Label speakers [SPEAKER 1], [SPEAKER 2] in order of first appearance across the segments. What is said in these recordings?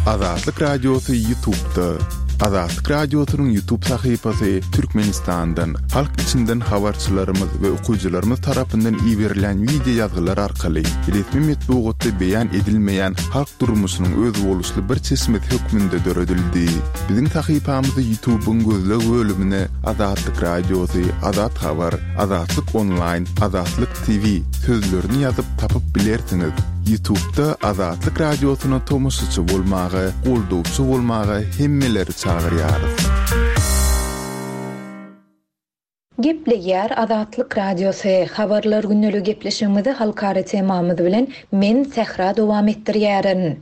[SPEAKER 1] Azatlyk Radiosy Ýutubda. Azatlyk Radiosynyň Ýutub sahypasy Türkmenistandan, halk içinden habarçylarymyz we okyjylarymyz tarapyndan iberilýän wideo ýazgylar arkaly resmi metbugatda beýan edilmeýän halk durmuşynyň özboluşly bir çeşmesi hökmünde döredildi. Biziň sahypamyzy Ýutubyň gözleg bölümine Azatlyk Radiosy, Azat Habar, Azatlyk Onlaýn, Azatlyk TV sözlerini ýazyp tapyp bilersiňiz. Ýutubda Azatlyk Radiosyna tomaşaçy bolmaga, goldawçy bolmaga hemmeleri çagyrýarys.
[SPEAKER 2] Gepleýär Azatlyk Radiosy, Habarlar gündeligi gepleşigimizi halkara temamyz bilen men, Sähra dowam etdirýärin.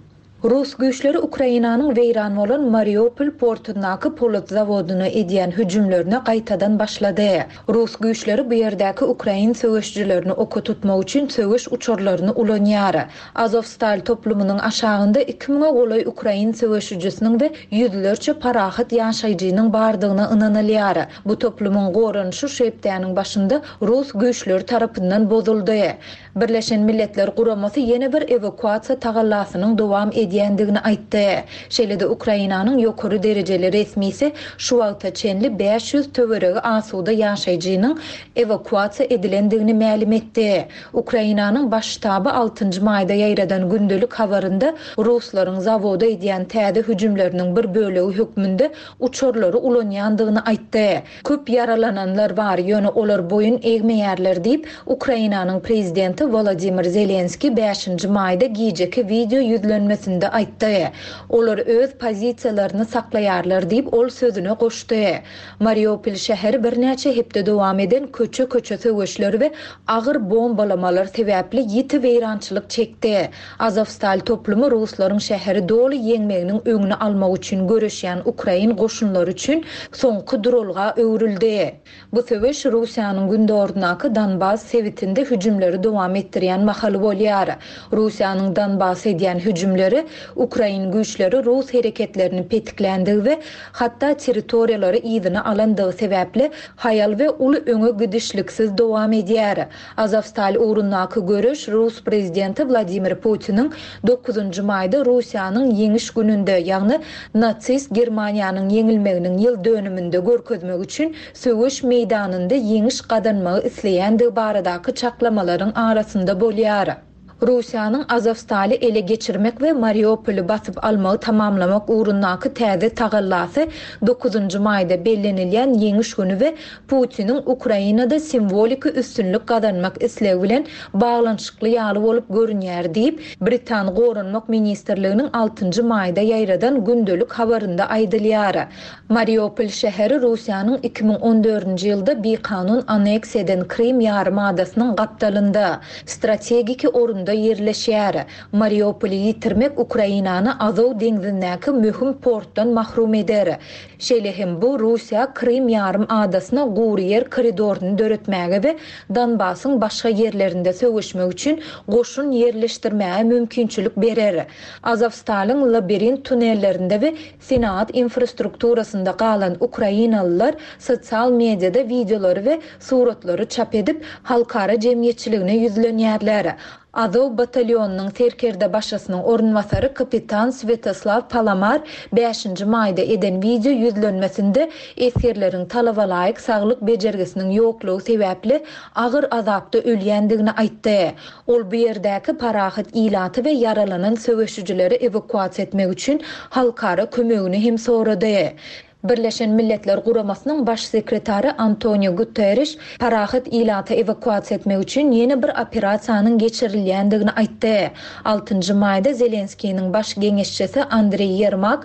[SPEAKER 2] Rus güýçleri Ukrainanyň weýran bolan Mariupol portundaky polat zawodyna edýän hüjümlerine gaýtadan başlady. Rus güýçleri bu ýerdäki ukrain söweşijilerini oka tutmak üçin söweş uçarlaryny ulanýar. Azowstal toplumynyň aşagynda iki müňe golaý ukrain söweşijisiniň we ýüzlerçe parahat ýaşaýjynyň bardygyna ynanylýar. Bu toplumyň goranyşy şu hepdäniň başynda rus güýçleri tarapyndan bozuldy. Birleşen Milletler Guramasy ýene bir ewakuasiýa tagallasynyň dowam edýändigini aýtdy. Şeýle-de Ukrainanyň ýokary derejeli resmisi şu wagta çenli 500 töweregi asuda ýaşaýjynyň ewakuasiýa edilendigini mälim etdi. Ukrainanyň Baş ştaby altynjy maýda ýaýradan gündelik habarynda ruslaryň zawoda edýän täze hüjümleriniň bir bölegi hökmünde uçarlary ulanýandygyny aýtdy. Köp ýaralananlar bar, ýöne olar boýun egmeýärler diýip, Ukrainanyň prezidenti Wolodymyr Zelenskiý bäşinji maýda gijeki wideo ýüzlenmesinde aýtdy. Olar öz pozisiýalaryny saklaýarlar diýip, ol sözüne goşdy. Mariupol şäheri birnäçe hepde dowam eden köçe-köçe söweşler we agyr bombalamalar sebäpli ýiti weýrançylyk çekdi. Azowstal toplumy ruslaryň şäheri doly ýeňmeginiň öňüni almak üçin göreşýän ukrain goşunlary üçin soňky duralga öwrüldi. Bu söweş Russiýanyň gündogaryndaky Donbas sebitinde hüjümleri dowam etdirýän mahaly bolýar. Russiýanyň Donbasa edýän hüjümleri ukrain güýçleri rus hereketlerini petikländigi we hatda territoriýalary yzyna alandygy sebäpli haýal we uly öňe gidişliksiz dowam edýär. Azowstal ugrundaky göreş rus prezidenti Wladimir Putiniň dokuzynjy maýda Russiýanyň Ýeňiş gününde, ýagny nasist Germaniýanyň ýeňilmeginiň ýyl dönüminde görkezmek üçin söweş meýdanynda ýeňiş gazanmagy isleýändigi baradaky çaklamalaryň arasynda bolýar. Russiýanyň Azowstaly ele geçirmek we Mariupoly basyp almagy tamamlamak ugrundaky täze tagallasy dokuzynjy maýda bellenilýän Ýeňiş güni we Putiniň Ukrainada simwoliki üstünlik gazanmak islegi bilen baglanyşykly ýaly bolup görünýär diýip, britan Goranmak ministrliginiň altynjy maýda ýaýradan gündelik habarynda aýdylýar. Mariupol şäheri Russiýanyň 2014-nji ýylda bikanun anneksiýa eden Krym ýarym adasynyň gapdalynda, strategiki orunda ýerleşýär. Mariupoly ýitirmek Ukrainany Azow deňzindäki möhüm portdan mahrum eder. Şeýle hem bu Russiýa Krym ýarym adasyna gury ýer koridoryny döretmäge we Donbasyň başga ýerlerinde söweşmek üçin goşun ýerleşdirmäge mümkinçilik berer. Azowstalyň labirint tunellerinde we Senagat infrastrukturasynda galan ukrainalylar sosial mediada wideolary we suratlary çap edip, halkara jemgyýetçiligine ýüzlenýärler. Azow batalýonynyň serkerdebaşysynyň orunbasary kapitan Swetoslaw Palamar bäşinji maýda eden wideo ýüzlenmesinde esgerleriň talabalaýyk saglyk bejergisiniň ýoklugy sebäpli agyr azapda ölýändigini aýtdy. Ol bu ýerdäki parahat ilaty we ýaralanan söweşijileri ewakuasiýa etmek üçin halkara kömegini hem sorady. Birleşen Milletler Guramasynyň Baş sekretary Antonio Guterriş parahat ilaty ewakuasiýa etmek üçin ýene bir operasiýanyň geçirilýändigini aýtdy. Altynjy maýda Zelenskiniň baş geňeşçisi Andreý Ýermak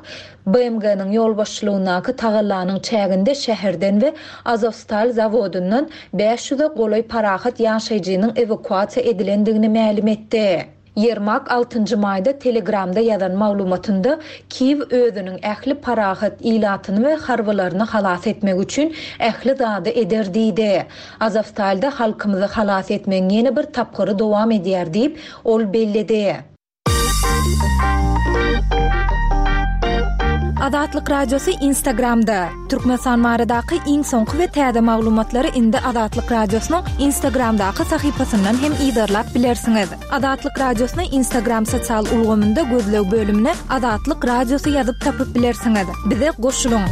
[SPEAKER 2] BMG-niň ýolbaşçylygyndaky tagallanyň çäginde şäherden we Azowstal zawodyndan 500-e golaý parahat ýaşaýjynyň ewakuasiýa edilendigini mälim etdi. Ýermak altynjy maýda Telegramda ýazan maglumatynda, Kiýew özüniň ähli parahat ilatyny we harbylaryny halas etmek üçin ähli zady eder diýdi. Azowstalda halkymyzy halas etmegiň ýene bir tapgyry dowam edýär diýip, ol belledi. Azatlyk Radiosy Instagramda! Türkmenistan baradaky iň soňky we täze maglumatlary indi Azatlyk Radiosynyň Instagramdaky sahypasyndan hem yzarlap bilersiňiz. Azatlyk Radiosyny Instagram sosial ulgamynda gözleg bölümine Azatlyk Radiosy ýazyp tapyp bilersiňiz. Bize goşulyň!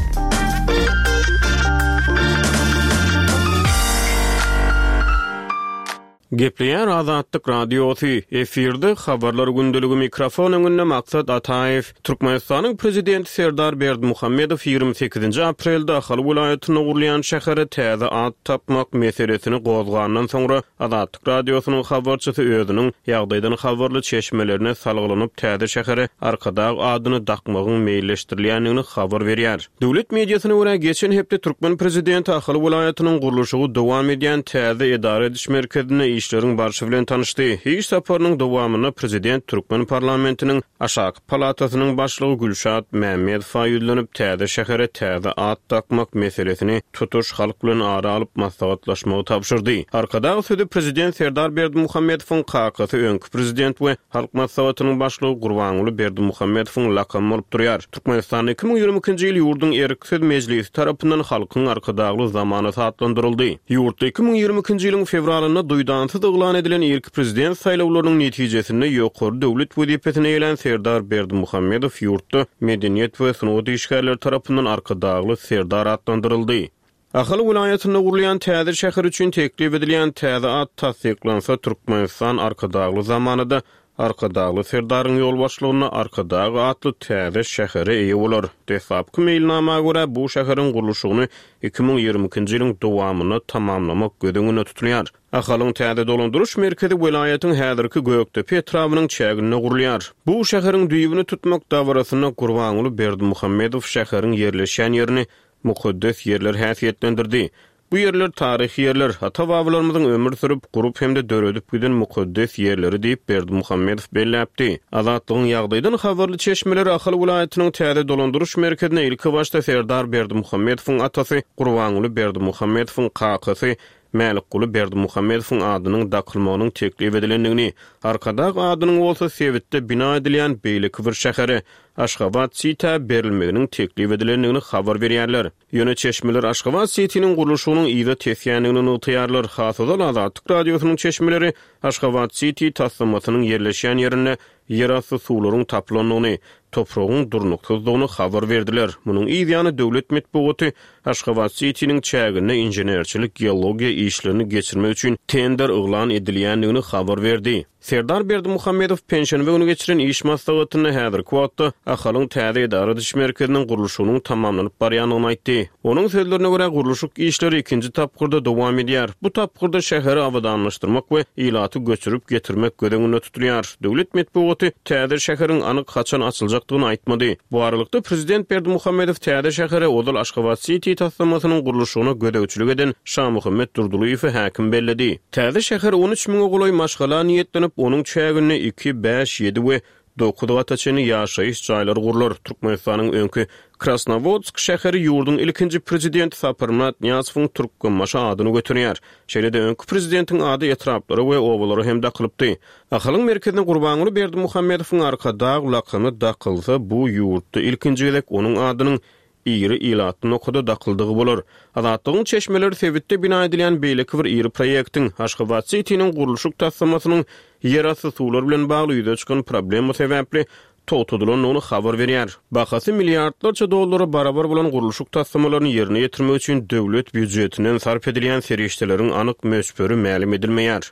[SPEAKER 3] Gepleýär Azatlyk Radiosy, efirde Habarlar gündeligi mikrofon öňünde Maksat Ataýew. Türkmenistanyň Prezidenti Serdar Berdimuhamedow 28-nji aprelde Ahal welaýatynda gurulýan şähere täze at tapmak meselesini gozgandan soňra Azatlyk Radiosynyň habarçysy özüniň ýagdaýdan habarly çeşmelerine salgylanyp täze şähere Arkadag adyny dakmagyň meýilleşdirilýändigini habar berýär. Döwlet mediasyna görä, geçen hepde türkmen prezidenti Ahal welaýatynyň gurluşygy dowam edýän täze edara ediş merkezinde işleriň barşy bilen tanyşdy. Iş saparynyň dowamynda prezident türkmen parlamentiniň aşaky palatasynyň başlygy Gülşat Mämmedowa ýüzlenip, täze şähere täze at dakmak meselesini tutuş halk bilen ara alyp maslahatlaşmagy tabşyrdy. Arkadag sözi prezident Serdar Berdimuhamedowyň kakasy öňki prezident we Halk Maslahatynyň başlygy Gurbanguly Berdimuhamedowyň lakamy bolup durýar. Türkmenistanda 2022-nji ýyl ýurduň Erksiz Mejlisi tarapyndan Halkyň Arkadagly zamanasy atlandyryldy. Ýurtda 2022-nji ýylyň fewralynda duýdansyz yglan edilen irki prezident saýlawlarynyň netijesinde ýokary döwlet wezipesini eýelän Serdar Berdimuhamedow ýurtda medeniýet we sungat işgärleri tarapyndan Arkadagly Serdar atlandyryldy. Ahal welaýatynda gurulýan täze şäher üçin teklip edilýän täze at tassyklansa, Türkmenistan Arkadagly zamanada Arkadagly Serdaryň ýolbaşçylygynda Arkadag atly täze şähere eýe bolar. Deslapky meýilnama görä, bu şäheriň gurluşygyny 2022-nji ýylyň dowamynda tamamlamak göz öňünde tutulýar. Ahalyň täze dolandyryş merkezi welaýatyň häzirki Gökdepe etrabynyň çäginde gurulýar. Bu şäheriň düýbüni tutmak dabarasynda Gurbanguly Berdimuhamedow şäheriň ýerleşýän ýerini mukaddes ýerler häsiýetlendirdi. Bu ýerler taryhy ýerler, ata-babalarymyzyň ömür sürüp, gurup hem-de döredip giden mukaddes ýerleri diýip, Berdimuhamedow belläpdi. Azatlygyň ýagdaýdan habarly çeşmeleri Ahal welaýatynyň täze dolandyryş merkezine ilkibaşda Serdar Berdimuhamedowyň atasy Gurbanguly Berdimuhamedowyň kakasy Mälikguly Berdimuhamedowyň adynyň dakylmagynyň teklip edilendigini, Arkadag adynyň bolsa sebitde bina edilýän beýleki bir şähere, Aşgabat-Sitä berilmeginiň teklip edilendigini habar berýärler. Ýöne çeşmeler Aşgabat-Sitiniň gurluşygynyň yza tesýändigini nygtaýarlar. Has ozal Azatlyk Radiosynyň çeşmeleri Aşgabat-Siti taslamasynyň ýerleşýän ýerinde ýerasty suwlaryň tapylandygyny, topragyň durnuksyzdygyny habar berdiler. Munuň yz ýany döwlet metbugaty Aşgabat-Sitiniň çäginde inženerçilik-geologiýa işlerini geçirmek üçin tender yglan edilýändigini habar berdi. Serdar Berdimuhamedow penşenbe güni geçiren iş maslahatynda häzirki wagtda Ahalyň täze edara ediş merkeziniň gurluşygynyň tamamlanyp barýandygyny aýtdy. Onuň sözlerine görä, gurluşyk işleri ikinji tapgyrda dowam edýär. Bu tapgyrda şäheri abadanlaşdyrmak we ilaty göçürip getirmek göz öňünde tutulýar. Döwlet metbugaty täze şäheriň anyk haçan açyljakdygyny aýtmady. Bu aralykda, prezident Berdimuhamedow täze şähere ozal Aşgabat-siti taslamasynyň gurluşygyna gözegçilik eden Şamuhammet Durdylyýewi häkim belledi. Täze şäher 13 müňe golaý maşgala niýetlenip, onuň çäginde iki, bäş, ýedi we dokuz gata çenli ýaşaýyş jaýlary gurlar. Türkmenistanyň öňki Krasnowodsk şäheri ýurduň ilkinji prezidenti Saparmyrat Nyýazowyň Türkmenbaşy adyny göterýär. Şeýle-de öňki prezidentiň ady etraplara we obalara hem dakylypdy. Ahalyň merkezine Gurbanguly Berdimuhamedowyň Arkadag lakamy dakylsa, bu ýurtda ilkinji gezek onuň adynyň iri ilatly nokada dakyldygy bolar. Azatlygyň çeşmeleri sebitde bina edilýän beýleki bir iri proýektiň, Aşgabat-sitiniň gurluşyk taslamasynyň ýerasty suwlar bilen bagly ýüze çykan problema sebäpli togtadylandygyny habar berýär. Bahasy milliardlarça dollara barabar bolan gurluşyk taslamalaryny ýerine ýetirmek üçin döwlet býujetinden sarp edilýän serişdeleriň anyk möçberi mälim edilmeýär.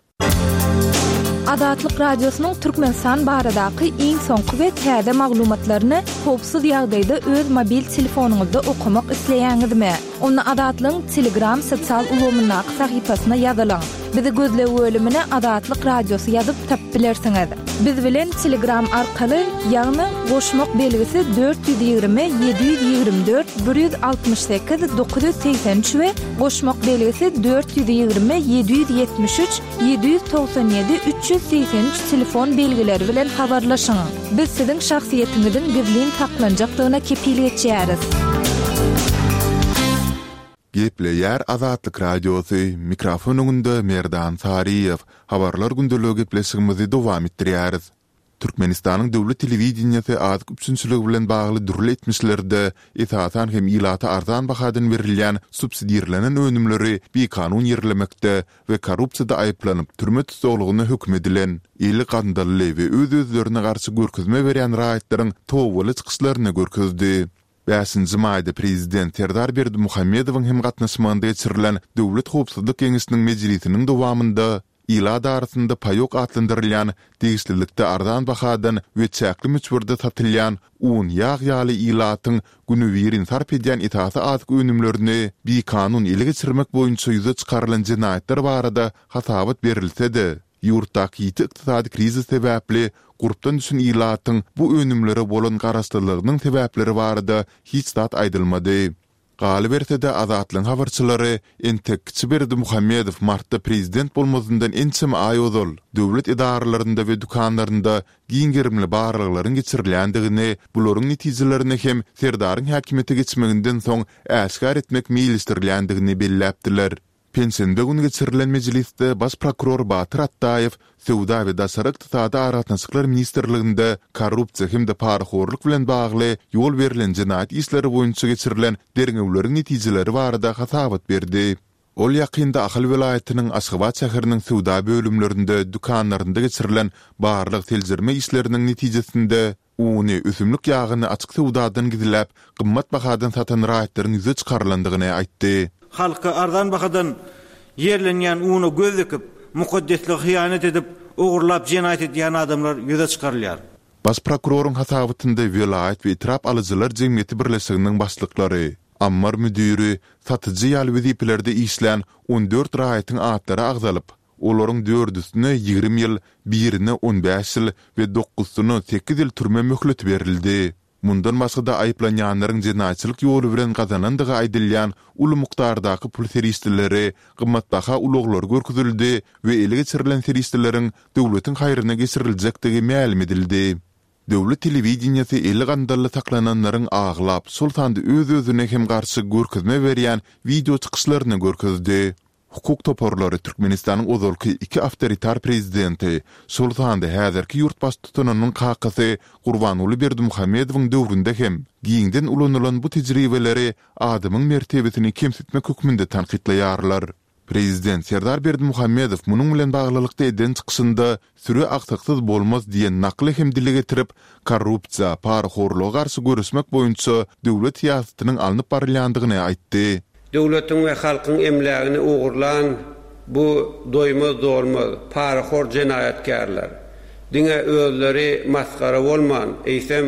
[SPEAKER 2] Azatlyk Radiosynyň Türkmenistan baradaky iň soňky we täze maglumatlaryny howpsuz ýagdaýda öz mobil telefonyňyzda okamak isleýäňizmi? Onda Azatlygyň Telegram sosial ulgamyndaky sahypasyna ýazylyň. Bizi gözleg bölümine Azatlyk Radiosy ýazyp tapyp bilersiňiz. Biz bilen Telegram arkaly, ýagny goşmak belgisi 420 724 168 983 we goşmak belgisi 420 773 797 383 telefon belgileri bilen habarlaşyň. Biz siziň şahsyýetiňiziň gizlin saklanjakdygyna kepil geçýäris.
[SPEAKER 1] Gepleýär Azatlyk Radiosy, mikrofon öňünde Merdan Saryýew. Habarlar gündeligi gepleşigimizi dowam etdirýäris. Türkmenistanyň döwlet telewideniýesi azyk üpjünçiligi bilen bagly dürli etmişlerde, esasan hem ilata arzan bahadan berilýän subsidirlenen önümleri bikanun ýerlemekde we korrupsiýada aýyplanyp, türme tussaglygyna höküm edilen, eli gandally we öz-özlerine garşy görkezme berýän raýatlaryň tobaly çykyşlaryny görkezdi. Bäşinji maýda prezident Serdar Berdimuhamedowyň hem gatnaşmagynda geçirilen Döwlet howpsuzlyk geňeşiniň mejlisiniň dowamynda ilat arasynda paýok atlandyrylýan degişlilikde arzan bahadan we çäkli möçberde satylýan un, ýag ýaly ilatyň günübirin sarp edýän esasy azyk önümlerini bikanun ele geçirmek boýunça ýüze çykarylan jenaýatlar barada hasabat berilse-de, ýurtdaky ýiti ykdysady krizis sebäpli gurpdan düşen ilatyň bu önümlere bolan garaşlylygynyň sebäpleri barada hiç zat aýdylmady. Galyberse-de, Azatlygyň habarçylary entek kiçi Berdimuhamedow martda prezident bolmazyndan ençeme aý ozal döwlet edaralarynda we dükanlarynda giň gerimli barlaglaryň geçirilýändigini, bularyň netijelerini hem Serdaryň häkimiýete geçmeginden soň äşgär etmek meýilleşdirilýändigini belläpdiler. Penşenbe güni geçirilen mejlisde baş prokuror Batyr Atdaýew Söwda we daşary ykdysady aragatnaşyklar ministrliginde korrupsiýa hem-de parahorluk bilen bagly ýol berlen jenaýat işleri boýunça geçirilen derňewleriň netijeleri barada hasabat berdi. Ol ýakynda Ahal welaýatynyň Aşgabat şäheriniň söwda bölümlerinde, dükanlarynda geçirilen barlag-seljerme işleriniň netijesinde Uny, ösümlik ýagyny açyk söwdadan gizläp, gymmat bahadan satan raýatlaryň ýüze çykarylandygyny aýtdy.
[SPEAKER 4] Halka arzan bahadan ýerlenýän una göz dikip, mukaddeslige hyýanat edip, ogurlap jenaýat edýän adamlar ýüze çykarylýar.
[SPEAKER 1] Baş prokuroryň hasabatynda welaýat we etrap alyjylar jemgyýeti birleşiginiň başlyklary, ammar müdiri, satyjy ýaly wezipelerde işlän 14 raýatyň atlary agzalyp, Olaryň dördüsine 20 ýyl, birine 15 ýyl we dokuzsyna sekiz ýyl türme möhleti berildi. Mundan başga-da aýyplanýanlaryň jenaýatçylyk ýoly bilen gazanandygy aýdylýan uly mukdardaky pul serişdeleri, gymmatbaha ulaglary görkezildi we ele geçirilen serişdeleriň döwletiň haýryna geçiriljekdigi mälim edildi. Döwlet telewideniýesi eli gandally saklananlaryň aglap, şol sanda öz-özüne hem garşy görkezme berýän wideo çykyşlaryny görkezdi. Hukuk toparlary Türkmenistanyň ozalky iki awtoritar prezidenti, şol sanda häzirki ýurt baştutanynyň kakasy Gurbanguly Berdimuhamedowyň döwründe hem giňden ulanylan bu tejribeleri adamyň mertebesini kemsitmek hökmünde tankytlaýarlar. Prezident Serdar Berdimuhamedow munuň bilen baglylykda eden çykyşynda Süri agsaksyz bolmaz diýen nakly hem dile getirip, korrupsiýa, parahorluga garşy göreşmek boýunça döwlet syýasatynyň alnyp barylýandygyny aýtdy.
[SPEAKER 5] Döwletiň we halkyň emlägini ogurlan bu doýmaz-dolmaz, parahor jenaýatkärler diňe özleri masgara bolman, eýsem,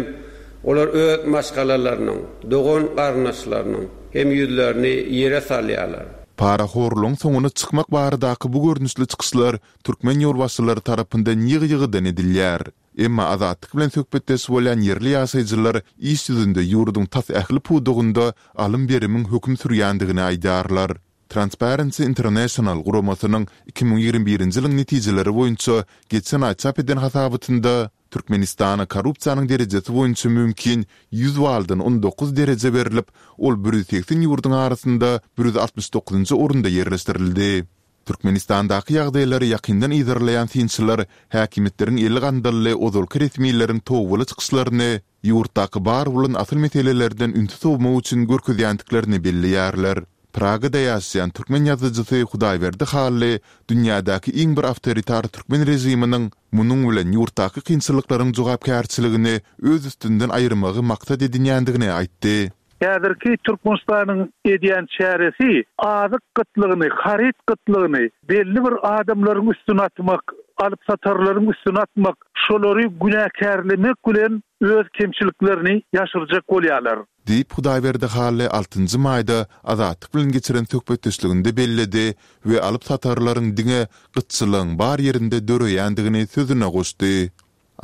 [SPEAKER 5] olar öz maşgalalarynyň, dogan-garyndaşlarynyň hem ýüzlerini ýere salýarlar.
[SPEAKER 1] Parahorlugyň soňuna çykmak baradaky bu görnüşli çykyşlar türkmen ýolbaşçylary tarapyndan ýygy-ýygydan edilýär. Emma Azatlyk bilen söhbetdeş bolýan ýerli ýaşaýjylar iş ýüzünde ýurduň tas ähli pudagynda alym-berimiň höküm sürýändigini aýdýarlar. Transparency International guramasynyň 2021-nji ýylyň netijeleri boýunça geçen aý çap eden hasabatynda Türkmenistana korrupsiýanyň derejesi boýunça mümkin 100 baldan 19 dereje berlip, ol 180 ýurduň arasynda 169-njy orunda ýerleşdirildi. Türkmenistandaky ýagdaýlary ýakyndan yzarlaýan synçylar häkimiýetleriň eli gandally ozalky resmileriň tobaly çykyşlaryny ýurtdaky bar bolan asyl meselelerden ünsi sowmak üçin görkezýändiklerini belleýärler. Pragada ýaşaýan türkmen ýazyjysy Hudaýberdi Hally dünýädäki iň bir awtoritar türkmen režiminiň munuň bilen ýurtdaky kynçylyklaryň jogapkärçiligini öz üstünden aýyrmagy maksat edinýändigini aýtdy.
[SPEAKER 6] Häzirki Türkmenistanyň edýän çäresi azyk gytlygyny, haryt gytlygyny belli bir adamlaryň üstüne atmak, alyp-satarlaryň üstüne atmak, şolary günäkärlemek bilen öz kemçiliklerini ýaşyrjak bolýarlar.
[SPEAKER 1] Diýip, Hudaýberdi Hally altynjy maýda Azatlyk bilen geçiren söhbetdeşliginde belledi we alyp-satarlaryň diňe gytçylygyň bar ýerinde döreýändigini sözüne goşdy.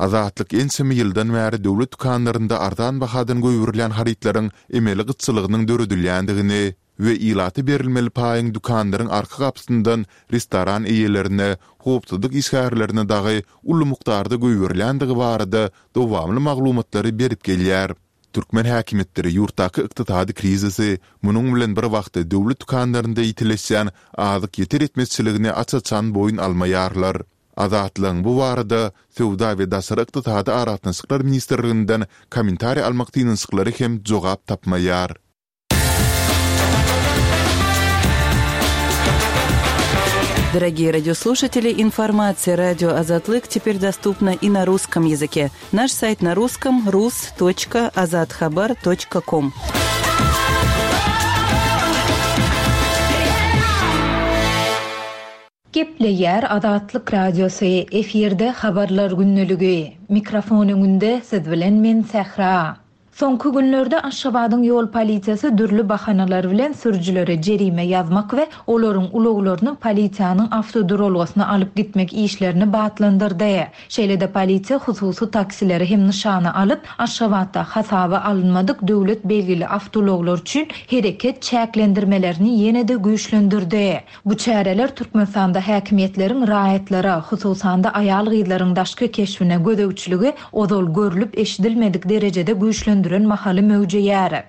[SPEAKER 1] Azatlyk ençeme ýyldan bäri döwlet dükanlarynda arzan bahadan goýberilýän harytlaryň emeli gytçylygynyň döredilýändigini we ilata berilmeli paýyň dükanlaryň arka gapysyndan restoran eýelerine, howpsuzlyk işgärlerine dagy uly mukdarda goýberilýändigi barada dowamly maglumatlary berip gelýär. Türkmen häkimiýetleri ýurtdaky ykdysady krizisi, munuň bilen bir wagtda döwlet dükanlarynda ýitileşýän azyk ýeter-ýetmezçiligini aç-açan boýun almaýarlar. Azatlygyň bu barada Söwda we daşary ykdysady aragatnaşyklar ministrliginden kommentariý almak synanyşyklary hem jogap tapmaýar.
[SPEAKER 7] Дорогие радиослушатели, информация радио Азатлык теперь доступна и на русском языке. Наш сайт на русском rus.azathabar.com.
[SPEAKER 2] Gepleýär Azatlyk Radiosy, efirde Habarlar gündeligi. Mikrofon öňünde siz bilen men Sähra. Soňky günlerde Aşgabadyň ýol polisiýasy dürli bahanalar bilen sürüjilere jerime ýazmak we olaryň ulaglaryny polisiýanyň awtoduralgasyna alyp gitmek işlerini batlandyrdy. Şeýle-de polisiýa hususy taksileri hem nyşana alyp, Aşgabatda hasaba alynmadyk döwlet belgili awtoulaglar üçin hereket çäklendirmelerini ýene-de güýçlendirdi. Bu çäreler Türkmenistanda häkimiýetleriň raýatlara, hususan-da aýal-gyzlaryň daşky keşbine gözegçiligi ozal görlüp-eşidilmedik derejede güýçlendiren mahaly möwjeýär.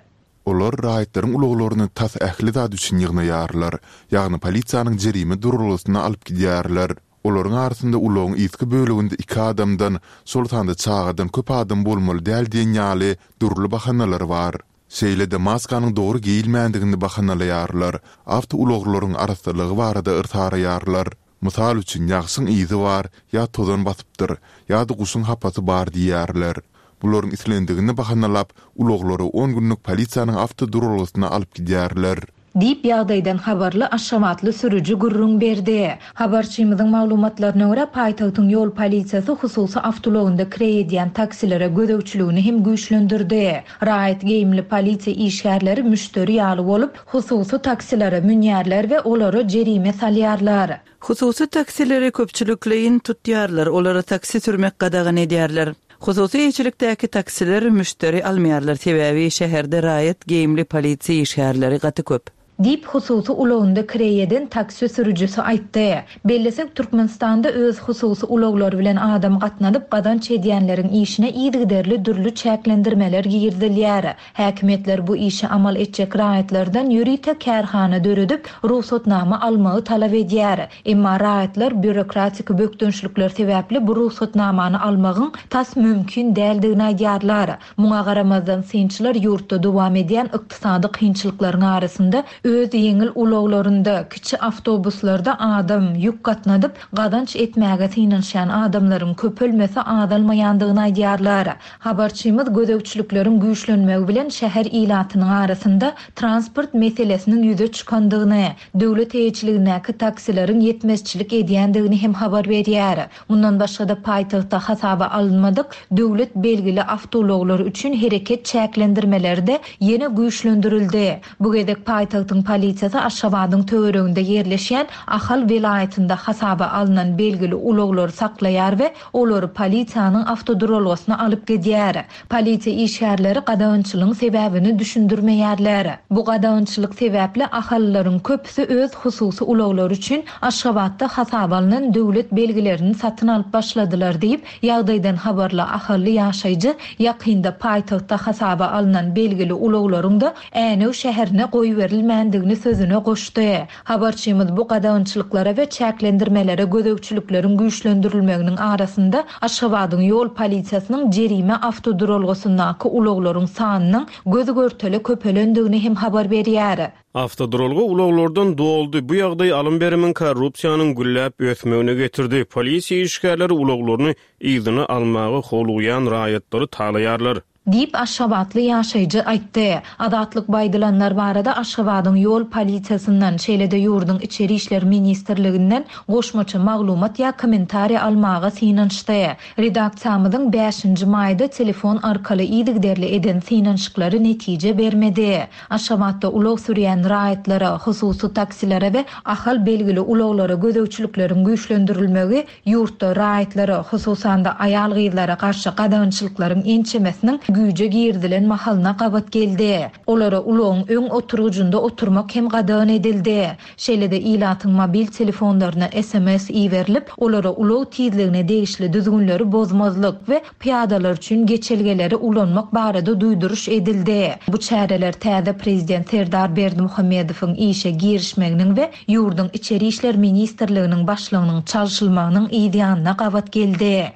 [SPEAKER 1] Olar raýatlaryň ulaglaryny tas ähli zat üçin ýygnaýarlar, ýagny polisiýanyň jerime duralgasyna alyp gidýärler. Olaryň arasynda ulagyň yzky böleginde iki adamdan, şol sanda çagadan köp adam bolmaly däl diýen ýaly dürli bahanalar bar. Şeýle-de maskanyň dogry geýilmändigini bahanalaýarlar, awtoulaglaryň arassalygy barada yrsaraýarlar. Mysal üçin, ýagşyň yzy bar, ýa tozan basypdyr, ýa-da guşuň hapasy bar diýýärler. Bularyň islendigini bahanalap, ulaglary on günlük polisiýanyň awtoduralgasyna alyp gidýärler.
[SPEAKER 2] Diýip, ýagdaýdan habarly aşgabatly sürüji gürrüň berdi. Habarçymyzyň maglumatlaryna görä, paýtagtyň ýol polisiýasy hususy awtoulagynda kireý edýän taksilere gözegçiligini hem güýçlendirdi. Raýat geýimli polisiýa işgärleri müşderi ýaly bolup, hususy taksilere münýärler we olara jerime salýarlar.
[SPEAKER 7] Hususy taksileri köpçülikleýin tutýarlar, olara taksi sürmek gadagan edýärler. Hususy eýeçilikdäki taksiler müşderi almaýarlar, sebäbi şäherde raýat geýimli polisiýa işgärleri gaty köp.
[SPEAKER 2] Diýip, hususy ulagynda kireý eden taksi sürüjisi aýtdy. Bellesek, Türkmenistanda öz hususy ulaglary bilen adam gatnadyp gazanç edýänleriň işine yzygiderli dürli çäklendirmeler girizilýär. Häkimiýetler bu işi amal etjek raýatlardan ýörite kärhana döredip, rugsatnama almagy talap edýär. Emma raýatlar býurokratik bökdençlikler sebäpli bu rugsatnamany almagyň tas mümkin däldigini aýdýarlar. Muňa garamazdan, synçylar ýurtda dowam edýän ykdysady kynçylyklaryň arasynda öz ýeňil ulaglarynda, kiçi awtobuslarda adam, ýük gatnadyp, gazanç etmäge synanyşýan adamlaryň köpelmese azalmaýandygyny aýdýarlar. Habarçymyz gözegçilikleriň güýçlenmegi bilen şäher ilatynyň arasynda transport meselesiniň ýüze çykandygyny, döwlet eýeçiligindäki taksileriň ýetmezçilik edýändigini hem habar berýär. Mundan başga-da paýtagtda hasaba alynmadyk döwlet belgili awtoulaglar üçin hereket çäklendirmeleri-de ýene güýçlendirildi. Bu gezek paýtagtyň polisiýasy Aşgabadyň töwereginde ýerleşýän Ahal welaýatynda hasaba alnan belgili ulaglary saklaýar we olary polisiýanyň awtoduralgasyna alyp gidýär. Polisiýa işgärleri gadagançylygyň sebäbini düşündirmeýärler. Bu gadagançylyk sebäpli ahallylaryň köpüsi öz hususy ulaglary üçin Aşgabatda hasaba alnan döwlet belgilerini satyn alyp başladylar diýip, ýagdaýdan habarly ahally ýaşaýjy ýakynda paýtagtda hasaba alnan belgili ulaglaryň-da Änew şäherine goýberilmändigini sözüne goşdy. Habarçymyz bu gadagançylyklara we çäklendirmelere gözegçilikleriň güýçlendirilmeginiň arasynda Aşgabadyň ýol polisiýasynyň jerime awtoduralgasyndaky ulaglaryň sanynyň göz-görtele köpelendigini hem habar berýär.
[SPEAKER 3] Awtoduralga ulaglardan doldy, bu ýagdaý alym-berimiň, korrupsiýanyň gülläp ösmegine getirdi, polisiýa işgärleri ulaglaryny yzyna almaga howlugýan raýatlary talaýarlar.
[SPEAKER 2] Diýip, aşgabatly ýaşaýjy aýtdy. Azatlyk bu aýdylanlar barada Aşgabadyň ýol polisiýasyndan, şeýle-de ýurduň Içeri işler ministrliginden goşmaça maglumat ýa kommentariý almaga synanyşdy. Redaksiýamyzyň bäşinji maýda telefon arkaly yzygiderli eden synanyşyklary netije bermedi. Aşgabatda ulag sürýän raýatlara, hususy taksilere we Ahal belgili ulaglara gözegçilikleriň güýçlendirilmegi Ýurtda raýatlara, hususan-da aýal-gyzlara garşy gadagançylyklaryň ençemesiniň güýje girizilen mahalyna gabat geldi. Olara ulagyň öň oturgyjynda oturmak hem gadagan edildi. Şeýle-de ilatyň mobil telefonlaryna sms iberilip, olara ulag tizligine degişli düzgünleri bozmazlyk we pyýadalar üçin geçelgeleri ulanmak barada duýduryş edildi. Bu çäreler täze Prezident Serdar Berdimuhamedowyň işe girişmeginiň we ýurduň Içeri işler ministrliginiň başlygynyň çalşylmagynyň yzýanyna gabat geldi.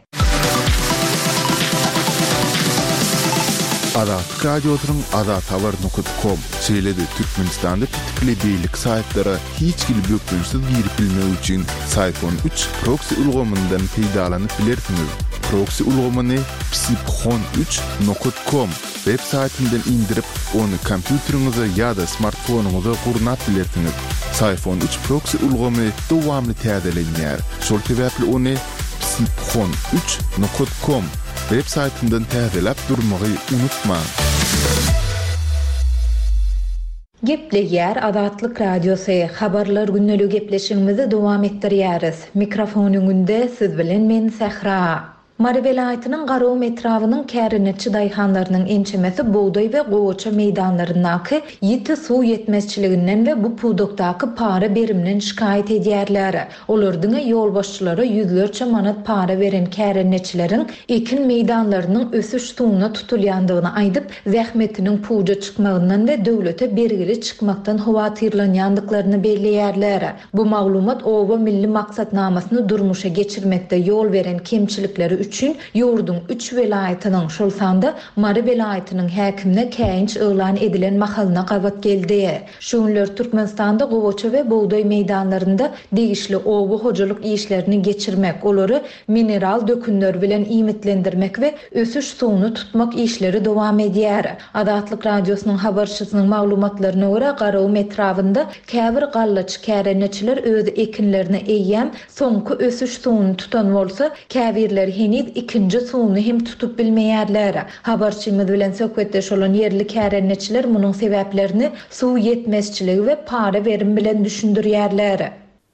[SPEAKER 1] Azatlyk Radiosynyň azathabar nokat kom, şeýle-de Türkmenistanda petikli beýleki saýtlara hiç hili bökdençsiz girip bilmek üçin Syfon üç proksi ulgamyndan peýdalanyp bilersiňiz. Proksi ulgamyny psiphon üç nokat kom web saýtyndan indirip, ony kompýuteriňize ýa-da smartfonyňyza gurnap bilersiňiz. Syfon üç proksi ulgamy dowamly täzelenýär, şol sebäpli ony psiphon üç nokat kom web saýtyndan täzeläp durmagy unutmaň!
[SPEAKER 2] Gepleýär Azatlyk Radiosy, Habarlar gündeligi gepleşigimizi dowam etdirýäris. Mikrofon öňünde siz bilen men Sähra. Mary welaýatynyň Garagum etrabynyň kärendeçi daýhanlarynyň ençemesi bugdaý we gowaça meýdanlaryndaky ýiti suw ýetmezçiliginden we bu pudakdaky para berimden şikaýat edýärler. Olar diňe ýolbaşçylara ýüzlerçe manat para beren kärendeçileriň ekin meýdanlarynyň ösüş suwuna tutulýandygyny aýdyp, zähmetiniň puja çykmagyndan we döwlete bergili çykmakdan howatyrlanýandyklaryny belleýärler. Bu maglumat Oba milli maksatnamasyny durmuşa geçirmekde ýol beren kemçilikleri üçin ýurduň üç welaýatynyň, şol sanda Mary welaýatynyň häkimine käýinç yglan edilen mahalyna gabat geldi. Şu günler Türkmenistanda gowaça we bugdaý meýdanlarynda degişli oba hojalyk işlerini geçirmek, olary mineral dökünler bilen iýmitlendirmek we ösüş suwuny tutmak işleri dowam edýär. Azatlyk Radiosynyň habarçysynyň maglumatlaryna görä, Garagum etrabynda käbir gallaçy kärendeçiler öz ekinlerine eýýäm soňky ösüş suwuny tutan bolsa, käbirleri heniz ikinji suwuny hem tutup bilmeýärler. Habarçymyz bilen söhbetdeş bolan ýerli kärendeçiler munuň sebäplerini suw ýetmezçiligi we para berim bilen düşündirýärler.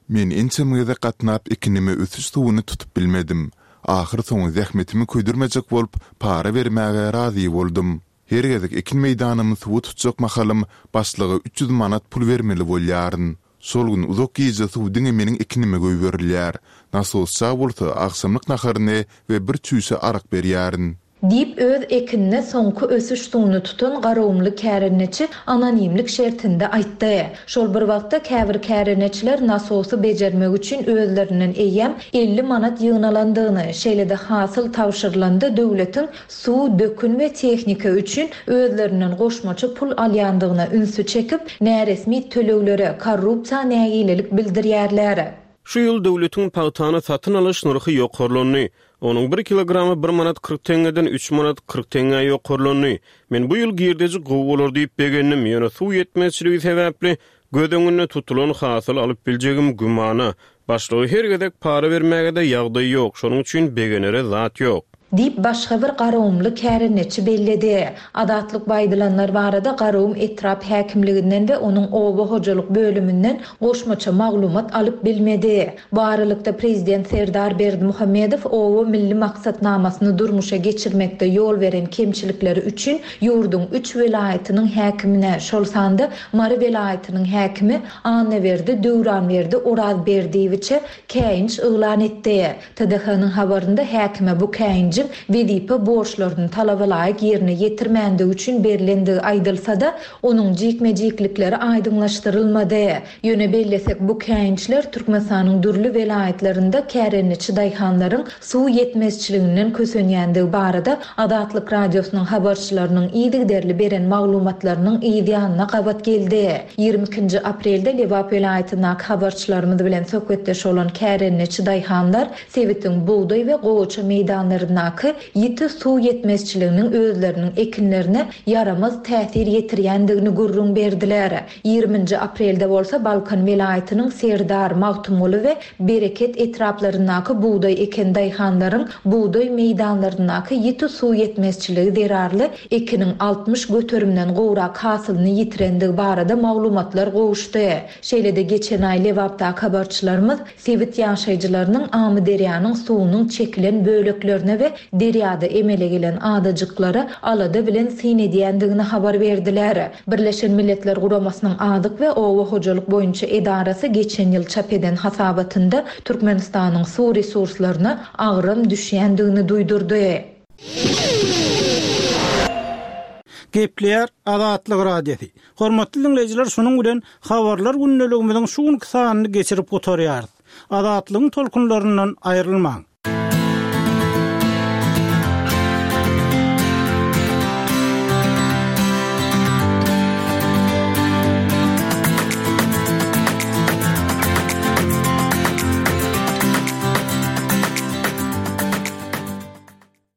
[SPEAKER 1] Men ençeme gezek gatnap ekinime ösüş suwuny tutup bilmedim. Ahyrsoňy zähmetimi köýdürmejek bolup, para bermäge razy boldum. Her gezek ekin meýdanymy suwa tutjak mahalym başlyga 300 manat pul bermeli bolýaryn. Şol gün uzak gije suw diňe meniň ekinime goýberilýär. Nasosça bolsa agşamlyk naharyny we bir çüýşe arak berýärin.
[SPEAKER 2] Diýip, öz ekinine soňky ösüş suwuny tutan garagumly kärendeçi anonimlik şertinde aýtdy. Şol bir wagtda, käbir kärendeçiler nasosy bejermek üçin özlerinden eýýäm 50 manat ýygnalandygyny, şeýle-de hasyl tabşyrylanda döwletiň suw, dökün we tehnika üçin özlerinden goşmaça pul alýandygyna ünsi çekip, näresmi töleglere, korrupsiýa nägilelik bildirýärler.
[SPEAKER 3] Şu ýyl döwletiň pagtany satyn alyş nyrhy ýokarlandy. Onuň bir kilogramy bir manat 40 teňňeden üç manat 40 teňňä ýokarlandy. Men bu ýyl girdeji gowy bolar diýip begendim, ýöne suw ýetmezçiligi sebäpli göz öňünde tutulan hasyly alyp biljegim gümana. Başlyga her gezek para bermäge-de ýagdaý ýok, şonuň üçin begenere zat ýok.
[SPEAKER 2] Diýip, başga bir garagumly kärendeçi belledi. Azatlyk bu aýdylanlar barada Garagum etrap häkimliginden we onuň oba hojalyk bölüminden goşmaça maglumat alyp bilmedi. Bu aralykda, prezident Serdar Berdimuhamedow Oba milli maksatnamasyny durmuşa geçirmekde ýol beren kemçilikleri üçin ýurduň üç welaýatynyň häkimine, şol sanda Mary welaýatynyň häkimi Annaberdi Döwranberdi Orazberdiýewiçe käýinç yglan etdi. TDH-nyň habarynda häkime bu käýinjiň wezipe borçlaryny talabalaýyk ýerine ýetirmändigi üçin berlendigi aýdylsa-da, onuň jikme-jiklikleri aýdyňlaşdyrylmady. Ýöne bellesek, bu käýinçler Türkmenistanyň dürli welaýatlarynda kärendeçi daýhanlaryň suw ýetmezçiliginden kösenýändigi barada Azatlyk Radiosynyň habarçylarynyň yzygiderli beren maglumatlarynyň yz ýanyna gabat geldi. 22 nji aprelde Lebap welaýatyndaky habarçylarymyz bilen söhbetdeş bolan kärendeçi daýhanlar sebitiň bugdaý we gowaça meýdanlaryndaky ýiti suw ýetmezçiliginiň özleriniň ekinlerine ýaramaz täsir ýetirýändigini gürrüň berdiler. Ýigriminji aprelde bolsa Balkan welaýatynyň Serdar, Magtymguly we Bereket etraplaryndaky bugdaý eken daýhanlaryň bugdaý meýdanlaryndaky ýiti suw ýetmezçiligi zerarly ekiniň 60 göterimden gowrak hasylyny ýitirendigi barada maglumatlar gowuşdy. Şeýle-de geçen aý Lebapdaky habarçylarymyz sebit ýaşaýjylarynyň Amyderýanyň suwunyň çekilen böleklerine we. derýada emele gelen adajyklara alada bilen syn edýändigini habar berdiler. Birleşen Milletler Guramasynyň Azyk we oba hojalyk boýunça edarasy geçen ýyl çap eden hasabatynda Türkmenistanyň suw resurslaryna agram düşýändigini duýdurdy.
[SPEAKER 8] Gepleýär Azatlyk Radiosy. Hormatly diňleýjiler şunuň bilen Habarlar gündeligimiziň şu günki sanyny geçirip gutarýarys. Azatlygyň tolkunlaryndan aýrylmaň!